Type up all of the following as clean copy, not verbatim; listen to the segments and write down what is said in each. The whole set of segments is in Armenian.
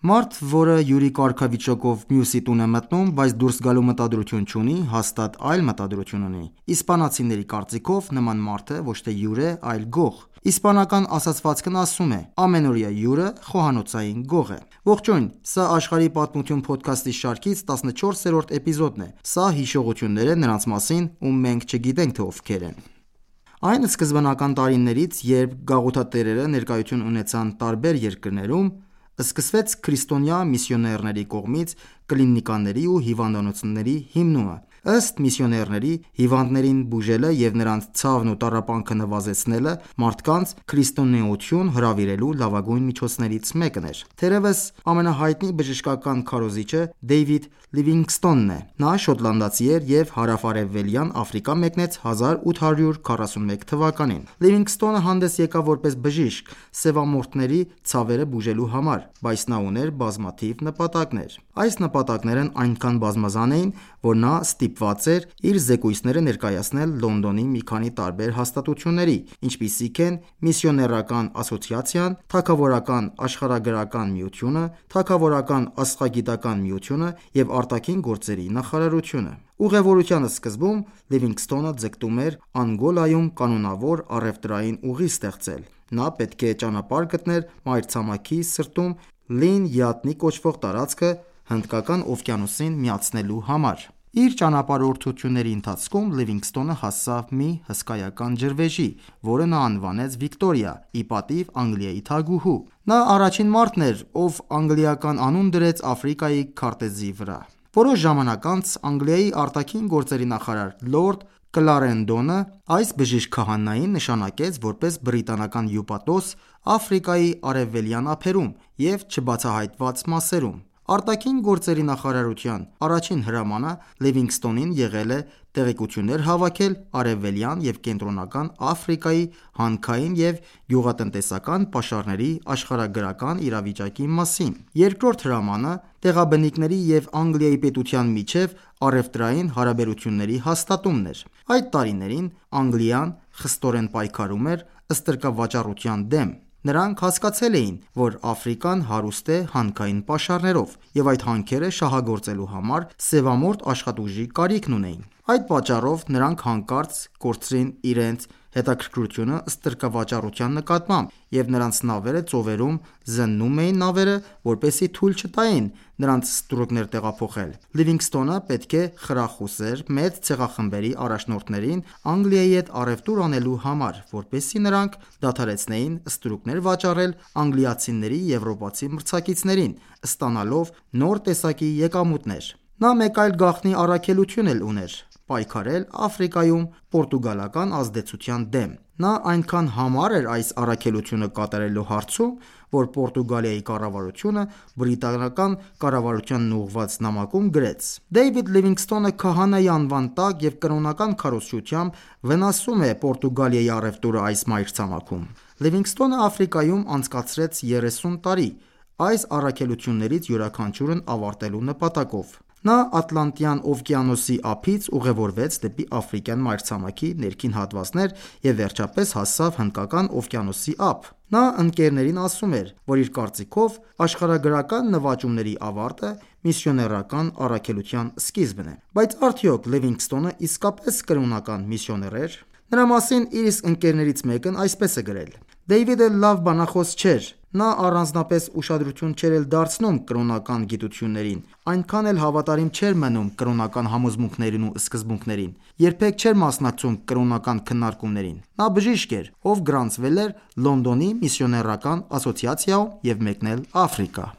Մարդ, որը յուրի կարգավիճակով մյուսի տուն է մտնում, բայց դուրս գալու մտադրություն չունի, հաստատ այլ մտադրություն ունի։ Իսպանացիների կարծիքով նման մարդը ոչ թե հյուր է, այլ գող։ Իսպանական ասացվածքն ասում է. ամենօրյա հյուրը խոհանոցային գող է։ Ողջույն, սա Աշխարհի պատմություն փոդքասթի շարքից 14-րդ էպիզոդն է։ Սա հիշողություններ է նրանց մասին, ում մենք չգիտենք, թե ովքեր են։ Այն սկզբնական տարիներից, երբ գաղութատերերը ներկայություն ունեցան տարբեր երկրներում, սկսվեց քրիստոնյա միսիոներների կողմից կլինիկաների ու հիվանդանոցների հիմնումը։ Ըստ միսիոներների, հիվանդներին բուժելը և նրանց ցավն ու տառապանքը նվազեցնելը մարդկանց քրիստոնեություն հրավիրելու լավագույն միջոցներից մեկն էր։ Թերևս ամենահայտնի բժշկական քարոզիչը Դեյվիդ Լիվինգսթոնն է։ Նա շոտլանդացի էր և հարավ-արևելյան Աֆրիկա մեկնեց 1841 թվականին։ Լիվինգսթոնը հանդես եկավ որպես բժիշկ սևամորթների ցավերը բուժելու համար, բայց նա ուներ բազմաթիվ նպատակներ։ Այս նպատակներն այնքան բազմազան էին, որ նա ստիպված էր իր զեկույցները ներկայացնել Լոնդոնի մի քանի տարբեր հաստատությունների, ինչպիսիք են Միսիոներական ասոցիացիան, Թագավորական աշխարհագրական միությունը, Թագավորական աստղագիտական միությունը և Արտաքին գործերի նախարարությունը։ Ուղևորության սկզբում Լիվինգսթոնը ձգտում էր Անգոլայում կանոնավոր առևտրային ուղի ստեղծել։ Նա պետք է ճանապարհ գտներ մայրցամաքի սրտում Լին Յատնի կոչվող տարածքը Հնդկական օվկիանոսին միացնելու համար։ Իր ճանապարհորդությունների ընթացքում Լիվինգսթոնը հասավ մի հսկայական ջրվեժի, որը նա անվանեց Վիկտորիա՝ ի պատիվ Անգլիայի թագուհու։ Նա առաջին մարդն էր, ով անգլիական անուն դրեց Աֆրիկայի քարտեզի վրա։ Որոշ ժամանակ անց Անգլիայի արտաքին գործերի նախարար լորդ Կլարենդոնը այս բժիշկ քահանային նշանակեց որպես բրիտանական հյուպատոս Աֆրիկայի արևելյան ափերում և չբացահայտված մասերում։ Արտաքին գործերի նախարարության առաջին հրամանը Լիվինգսթոնին եղել է տեղեկություններ հավաքել արևելյան և կենտրոնական Աֆրիկայի հանքային և գյուղատնտեսական պաշարների աշխարհագրական իրավիճակի մասին։ Երկրորդ հրամանը տեղաբնիկների և Անգլիայի պետության միջև առևտրային հարաբերությունների հաստատումն էր։ Այդ տարիներին Անգլիան խստորեն պայքարում էր ստրկավաճառության դեմ։ Նրանք հասկացել էին, որ Աֆրիկան հարուստ է հանքային պաշարներով, և այդ հանքերը շահագործելու համար սևամորթ աշխատուժի կարիքն ունեին։ Այդ պատճառով նրանք հանկարծ կորցրին իրենց հետաքրքրությունը ստրկավաճառության նկատմամբ, և նրանց նավերը ծովերում զննում էին նավերը, որպեսզի թույլ չտային նրանց ստրուկներ տեղափոխել։ Լիվինգսթոնը պետք է խրախուսեր մեծ ցեղախմբերի առաջնորդներին Անգլիայի հետ առևտուր անելու համար, որպեսզի նրանք դադարեցնեին ստրուկներ վաճառել անգլիացիների եվրոպացի մրցակիցներին, ստանալով նոր տեսակի եկամուտներ։ Նա մեկ այլ գաղտնի առաքելություն էլ ուներ՝ պայքարել Աֆրիկայում պորտուգալական ազդեցության դեմ։ Նա այնքան համառ էր այս առաքելությունը կատարելու հարցում, որ Պորտուգալիայի կառավարությունը բրիտանական կառավարությանն ուղղված նամակում գրեց. «Դեյվիդ Լիվինգսթոնը քահանայի անվան տակ և կրոնական քարոզչությամբ վնասում է Պորտուգալիայի առևտուրը այս մայրցամաքում»։ Լիվինգսթոնը Աֆրիկայում անցկացրեց 30 տարի՝ այս առաքելություններից յուրաքանչյուրն ավարտելու նպատակով։ Նա Ատլանտյան օվկիանոսի ափից ուղևորվեց դեպի աֆրիկյան մայրցամաքի ներքին հատվածներ և վերջապես հասավ Հնդկական օվկիանոսի ափ։ Նա ընկերներին ասում էր, որ իր կարծիքով աշխարհագրական նվաճումների ավարտը միսիոներական առաքելության սկիզբն է։ Բայց արդյոք Լիվինգսթոնը իսկապես կրոնական միսիոներ էր։ Նրա մասին իր իսկ ընկերներից մեկն այսպես է գրել. «Դեյվիդը լավ բանախոս չէր։ Նա առանձնապես ուշադրություն չէր էլ դարձնում կրոնական գիտություններին, այնքան էլ հավատարիմ չէր մնում կրոնական համոզմունքներին ու սկզբունքներին, երբեք չէր մասնակցում կրոնական քննարկումներին։ Նա բժիշկ էր, ով գրանցվել էր Լոնդոնի Միսիոներական ասոցիացիայում և մեկնել Աֆրիկա»։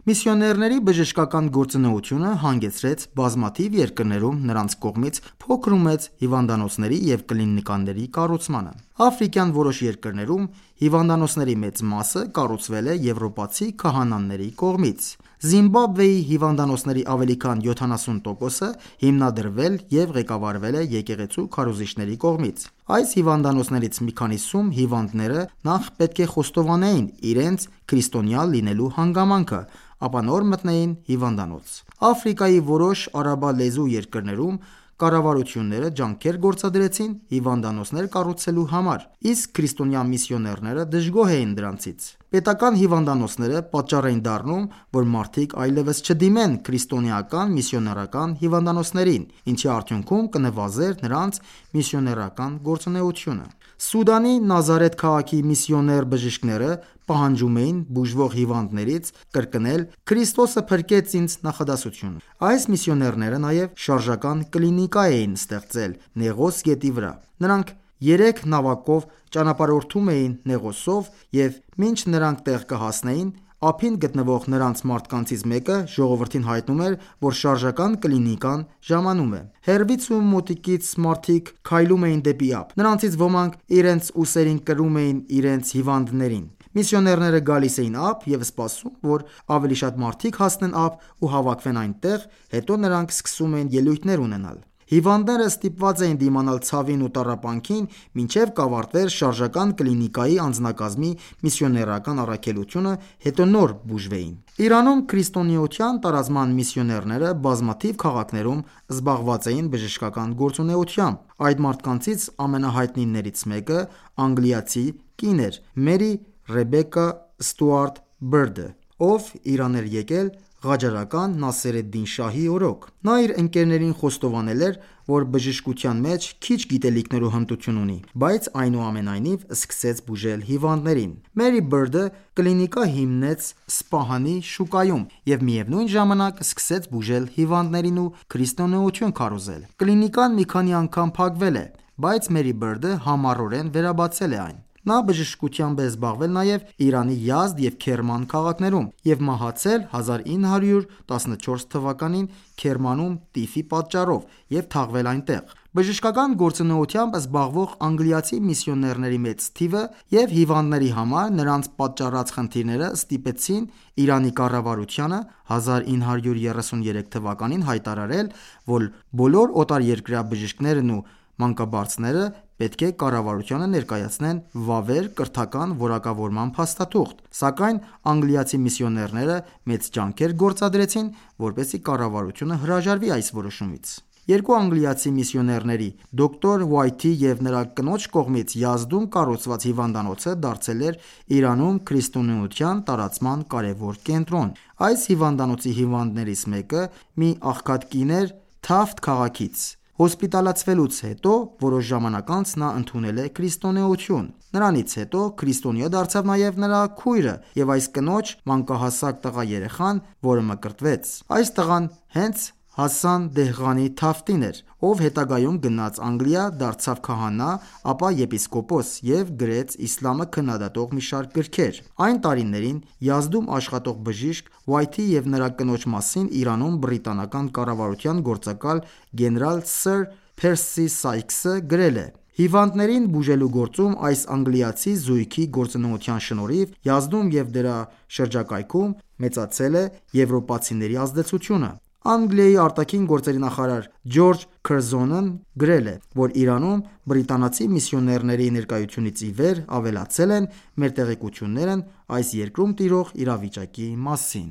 Միսիոներների բժշկական գործունեությունը հանգեցրեց բազմաթիվ երկրներում նրանց կողմից փոքր ու մեծ հիվանդանոցների և կլինիկաների կառուցմանը։ Աֆրիկյան որոշ երկրներում հիվանդանոցների մեծ մասը կառուցվել է եվրոպացի քահանաների կողմից։ Զիմբաբվեի հիվանդանոցների ավելի քան 70%-ը հիմնադրվել և ղեկավարվել է եկեղեցու քարոզիչների կողմից։ Այս հիվանդանոցներից մի քանիսում հիվանդները նախ պետք է խոստովանեին իրենց քրիստոնյա լինելու հանգամանքը, ապա նոր մտնեին հիվանդանոց։ Աֆրիկայի որոշ արաբալեզու երկրներում կառավարությունները ջանքեր գործադրեցին հիվանդանոցներ կառուցելու համար, իսկ քրիստոնյա միսիոներները դժգոհ էին դրանցից։ Պետական հիվանդանոցները պատճառ էին դառնում, որ մարդիկ այլևս չդիմեն քրիստոնեական միսիոներական հիվանդանոցներին, ինչի արդյունքում կնվազեր նրանց միսիոներական գործունեությունը։ Սուդանի Նազարեթ քաղաքի միսիոներ բժիշկները պահանջում էին բուժվող հիվանդներից կրկնել «Քրիստոսը փրկեց ինձ» նախադասությունը։ Այս միսիոներները նաև շարժական կլինիկա էին ստեղծել Նեղոս գետի վրա։ Նրանք 3 նավակով ճանապարհորդում էին Նեղոսով, և մինչ նրանք տեղ կհասնեին, ափին գտնվող նրանց մարդկանցից մեկը ժողովրդին հայտնում էր, որ շարժական կլինիկան ժամանում է։ Հեռվից ու մոտիկից մարդիկ քայլում էին դեպի ափ։ Նրանցից ոմանք իրենց ուսերին կրում էին իրենց հիվանդներին։ Միսիոներները գալիս էին ափ և սպասում, որ ավելի շատ մարդիկ հասնեն ափ ու հավաքվեն այնտեղ, հետո նրանք սկսում էին ելույթներ ունենալ։ Հիվանդները ստիպված էին դիմանալ ցավին ու տառապանքին, մինչև կավարտվեր շարժական կլինիկայի անձնակազմի միսիոներական առաքելությունը, հետո նոր բուժվեին։ Իրանում քրիստոնեության տարածման միսիոներները բազմաթիվ քաղաքներում զբաղված էին բժշկական գործունեությամբ։ Այդ մարդկանցից ամենահայտնիներից մեկը անգլիացի կին էր Մերի Ռեբեկա Ստուարտ Բըրդը, ով Իրան էր եկել Ղաջարական Նասեր էդ-Դին շահի օրոք։ Նա իր ընկերներին խոստովանել էր, որ բժշկության մեջ քիչ գիտելիքներ ու հմտություն ունի, բայց այնուամենայնիվ սկսեց բուժել հիվանդներին։ Մերի Բըրդը կլինիկա հիմնեց Սպահանի շուկայում և միևնույն ժամանակ սկսեց բուժել հիվանդներին ու քրիստոնեություն քարոզել։ Կլինիկան մի քանի անգամ փակվել է, բայց Մերի Բըրդը համառորեն վերաբացել է այն։ Նա բժշկությամբ է զբաղվել նաև Իրանի Յազդ և Քերման քաղաքներում և մահացել 1914 թվականին Քերմանում տիֆի պատճառով և թաղվել այնտեղ։ Բժշկական գործունեությամբ զբաղվող անգլիացի միսիոներների մեծ թիվը և հիվանդների համար նրանց պատճառած խնդիրները ստիպեցին Իրանի կառավարությանը 1933 թվականին հայտարարել, որ բոլոր օտարերկրյա բժիշկներն ու մանկաբարձները պետք է կառավարությանը ներկայացնեն վավեր կրթական որակավորման փաստաթուղթ, սակայն անգլիացի միսիոներները մեծ ջանքեր գործադրեցին, որպեսզի կառավարությունը հրաժարվի այս որոշումից։ Երկու անգլիացի միսիոներների՝ դոկտոր Ուայթի և նրա կնոջ կողմից Յազդում կառուցված հիվանդանոցը դարձել էր Իրանում քրիստոնեության տարածման կարևոր կենտրոն։ Այս հիվանդանոցի հիվանդներից մեկը մի աղքատ կին էր Թաֆթ քաղաքից։ Հոսպիտալացվելուց հետո որոշ ժամանակ անց նա ընդունել է քրիստոնեություն։ Նրանից հետո քրիստոնյա դարձավ նաև նրա քույրը և այս կնոջ մանկահասակ տղա երեխան, որը մկրտվեց։ Այս տղան հենց Հասան Դեհղանի Թաֆթին էր, ով հետագայում գնաց Անգլիա, դարձավ քահանա, ապա եպիսկոպոս և գրեց իսլամը քննադատող մի շարք գրքեր։ Այն տարիներին Յազդում աշխատող բժիշկ Ուայթի և նրա կնոջ մասին Իրանում բրիտանական կառավարության գործակալ գեներալ սըր Փերսի Սայքսը գրել է. «Հիվանդներին բուժելու գործում այս անգլիացի զույգի գործունեության շնորհիվ Յազդում և դրա շրջակայքում մեծացել է եվրոպացիների ազդեցությունը»։ Անգլիայի արտաքին գործերի նախարար Ջորջ Քըրզոնն գրել է, որ Իրանում բրիտանացի միսիոներների ներկայությունից ի վեր ավելացել են մեր տեղեկություններն այս երկրում տիրող իրավիճակի մասին։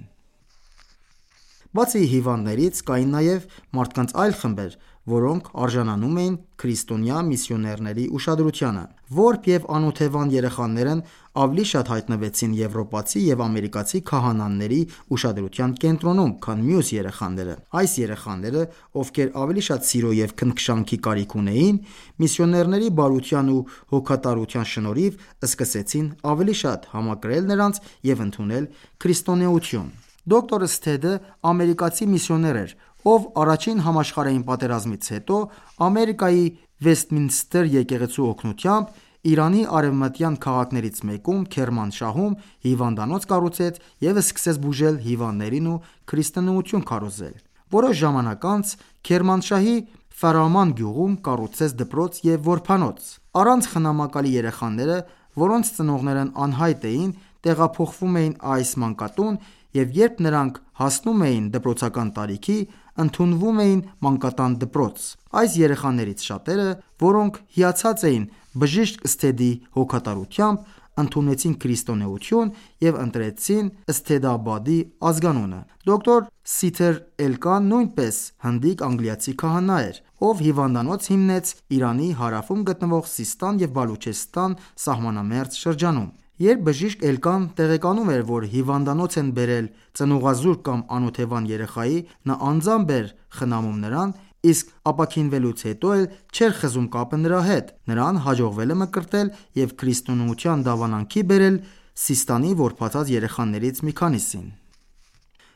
Բացի հիվանդներից, կային նաև մարդկանց այլ խմբեր, որոնք արժանանում էին քրիստոնյա միսիոներների ուշադրությանը։ Որբ և անօթևան երեխաներն ավելի շատ հայտնվեցին եվրոպացի և ամերիկացի քահանաների ուշադրության կենտրոնում, քան մյուս երեխաները։ Այս երեխաները, ովքեր ավելի շատ սիրո և քնքշանքի կարիք ունեին, միսիոներների բարության ու հոգատարության շնորհիվ սկսեցին ավելի շատ համակրել նրանց և ընդունել քրիստոնեություն։ Դոկտոր Սթեդը ամերիկացի միսիոներ էր, ով Առաջին համաշխարհային պատերազմից հետո Ամերիկայի Վեսթմինստր եկեղեցու օգնությամբ Իրանի արևմտյան քաղաքներից մեկում Քերմանշահում հիվանդանոց կառուցեց և սկսեց բուժել հիվանդներին ու քրիստոնեություն քարոզել։ Որոշ ժամանակ անց Քերմանշահի Ֆարաման գյուղում կառուցեց դպրոց և որբանոց։ Առանց խնամակալի երեխաները, որոնց ծնողներն անհայտ էին, տեղափոխվում էին այս մանկատուն և երբ նրանք հասնում էին դպրոցական տարիքի, ընդունվում էին մանկատան դպրոց։ Այս երեխաներից շատերը, որոնք հիացած էին բժիշկ Սթեդի հոգատարությամբ, ընդունեցին քրիստոնեություն և ընտրեցին Սթեդաբադի ազգանունը։ Դոկտոր Սիթեր Էլկան նույնպես հնդիկ անգլիացի քահանա էր, ով հիվանդանոց հիմնեց Իրանի հարավում գտնվող Սիստան և Բալուչեստան սահմանամերձ շրջանում։ Երբ բժիշկ Էլկան տեղեկանում էր, որ հիվանդանոց են բերել ծնուղազուրկ կամ անօթևան երեխայի, նա անձամբ էր խնամում նրան, իսկ ապաքինվելուց հետո էլ չէր խզում կապը նրա հետ։ Նրան հաջողվել է մկրտել և քրիստոնեության դավանանքի բերել Սիստանի որբացած երեխաներից մի քանիսին։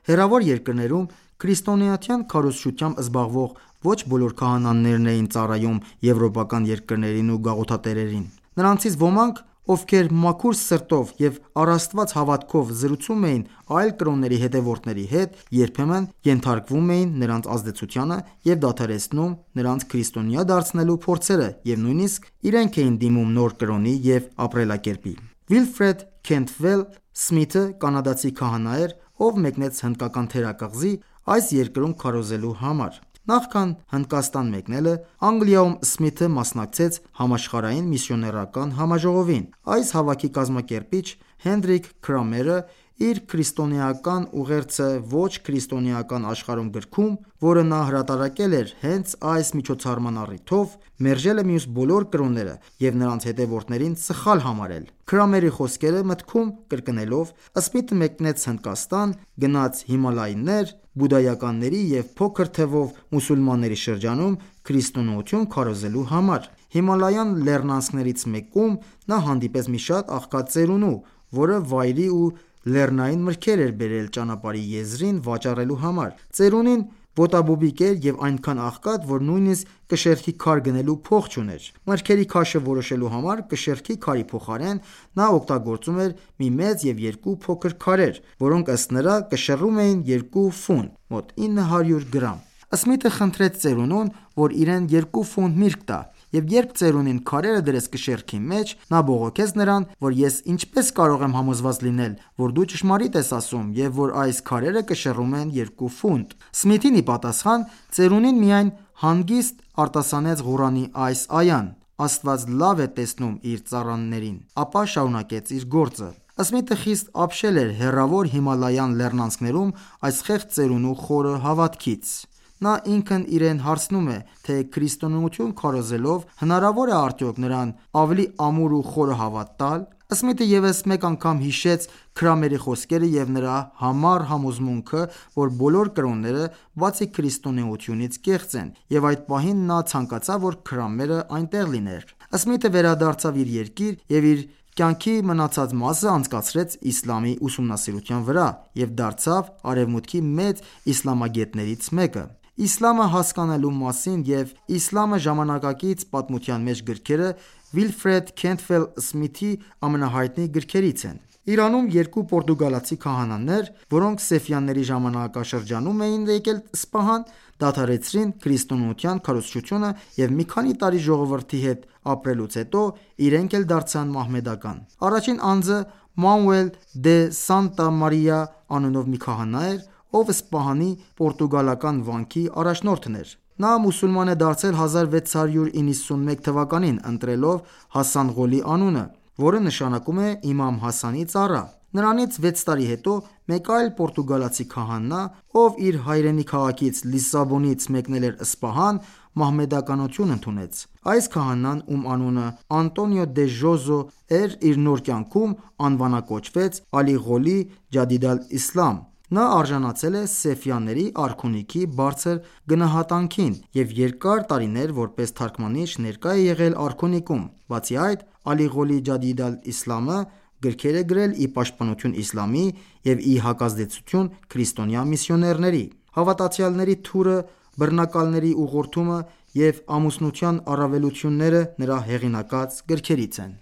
Հեռավոր երկրներում քրիստոնեության քարոզչությամբ զբաղվող ոչ բոլոր քահանաներն էին ծառայում եվրոպական երկրներին ու գաղութատերերին։ Նրանցից ոմանք, ովքեր մաքուր սրտով և առ Աստված հավատքով զրուցում էին այլ կրոնների հետևորդների հետ, երբեմն ենթարկվում էին նրանց ազդեցությանը և դադարեցնում նրանց քրիստոնյա դարձնելու փորձերը և նույնիսկ իրենք էին դիմում նոր կրոնի և ապրելակերպի։ Վիլֆրեդ Քենթվել Սմիթը կանադացի քահանա էր, ով մեկնեց հնդկական թերակղզի այս երկրում քարոզելու համար։ Նախքան Հնդկաստան մեկնելը, Անգլիայում Սմիթը մասնակցեց համաշխարհային միսիոներական համաժողովին։ Այս հավաքի կազմակերպիչ Հենրիկ Քրամերը իր «Քրիստոնեական ուղերձը ոչ քրիստոնեական աշխարհում» գրքում, որը նա հրատարակել էր հենց այս միջոցառման առիթով, մերժել է մյուս բոլոր կրոնները և նրանց հետևորդներին սխալ համարել։ Քրամերի խոսքերը մտքում կրկնելով, Սմիթը մեկնեց Հնդկաստան, գնաց Հիմալայներ, բուդդայականների և փոքր թվով մուսուլմանների շրջանում քրիստոնեություն քարոզելու համար։ Հիմալայան լեռնանցքներից մեկում նա հանդիպեց մի շատ աղքատ ծերունու, որը վայրի ու լեռնային մրգեր էր բերել ճանապարհի եզրին վաճառելու համար։ Ծերունին ոտաբոբիկ էր և այնքան աղքատ, որ նույնիսկ կշեռքի քար գնելու փող չուներ։ Մրգերի քաշը որոշելու համար կշեռքի քարի փոխարեն նա օգտագործում էր մի մեծ և երկու փոքր քարեր, որոնք ըստ նրա կշռում էին 2 ֆունտ (մոտ 900 գրամ)։ Սմիթը խնդրեց ծերունուն, որ իրեն 2 ֆունտ միրգ տա, և երբ ծերունին քարերը դրեց կշեռքի մեջ, նա բողոքեց նրան, որ ես ինչպես կարող եմ համոզված լինել, որ դու ճշմարիտ ես ասում և որ այս քարերը կշռում են 2 ֆունտ։ Սմիթին ի պատասխան, ծերունին միայն հանգիստ արտասանեց Ղուրանի այս այան. «Աստված լավ է տեսնում իր ծառաներին», ապա շարունակեց իր գործը։ Սմիթը խիստ ապշել էր հեռավոր Հիմալայան լեռնանցքներում այս խեղճ ծերունու խորը հավատքից։ Նա ինքն իրեն հարցնում է, թե քրիստոնեություն քարոզելով հնարավո՞ր է արդյոք նրան ավելի ամուր ու խորը հավատ տալ։ Սմիթը ևս մեկ անգամ հիշեց Քրամերի խոսքերը և նրա համառ համոզմունքը, որ բոլոր կրոնները, բացի քրիստոնեությունից, կեղծ են, և այդ պահին նա ցանկացավ, որ Քրամերը այնտեղ լիներ։ Սմիթը վերադարձավ իր երկիր և իր կյանքի մնացած մասը անցկացրեց իսլամի ուսումնասիրության վրա և դարձավ Արևմուտքի մեծ իսլամագետներից մեկը։ Իսլամը հասկանալու մասին և «Իսլամը ժամանակակից պատմության մեջ» գրքերը Վիլֆրեդ Քենթվել Սմիթի ամենահայտնի գրքերից են։ Իրանում երկու պորտուգալացի քահանաներ, որոնք Սեֆյանների ժամանակաշրջանում էին եկել Սպահան, դադարեցրին քրիստոնեության քարոզչությունը և մի քանի տարի ժողովրդի հետ ապրելուց հետո իրենք էլ դարձան մահմեդական։ Առաջին անձը Մանուել դե Սանտա Մարիա անունով մի քահանա էր, ով Սպահանի պորտուգալական վանքի առաջնորդն էր։ Նա մուսուլման է դարձել 1691 թվականին՝ ընտրելով Հասան Ղոլի անունը, որը նշանակում է Իմամ Հասանի ծառա։ Նրանից 6 տարի հետո մեկ այլ պորտուգալացի քահանա, ով իր հայրենի քաղաքից Լիսաբոնից մեկնել էր Սպահան, մահմեդականություն ընդունեց։ Այս քահանան, ում անունը Անտոնիո դե Ժոզո էր, իր նոր կյանքում անվանակոչվեց Ալի Ղոլի Ջադիդ ալ-Իսլամ։ Նա արժանացել է Սեֆյանների արքունիքի բարձր գնահատանքին և երկար տարիներ որպես թարգմանիչ ներկա է եղել արքունիքում։ Բացի այդ, Ալի Ղոլի Ջադիդ ալ-Իսլամը գրքեր է գրել ի պաշտպանություն իսլամի և ի հակազդեցություն քրիստոնյա միսիոներների։ Հավատացյալների թուրը, բռնակալների ուղղորդումը և ամուսնության առավելությունները նրա հեղինակած գրքերից են։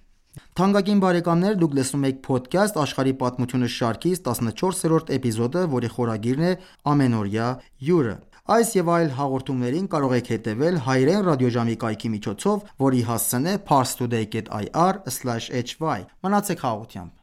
Թանկագին բարեկամներ, դուք լսում եք «Փոդքասթ աշխարհի պատմությունը» շարքից 14-րդ էպիզոդը, որի խորագիրն է «Ամենօրյա հյուրը»։ Այս և այլ հաղորդումներին կարող եք հետևել հայրեն ռադիոժամի կայքի միջոցով, որի հասցեն է parstoday.ir/hy։ Մնացեք խաղաղությամբ։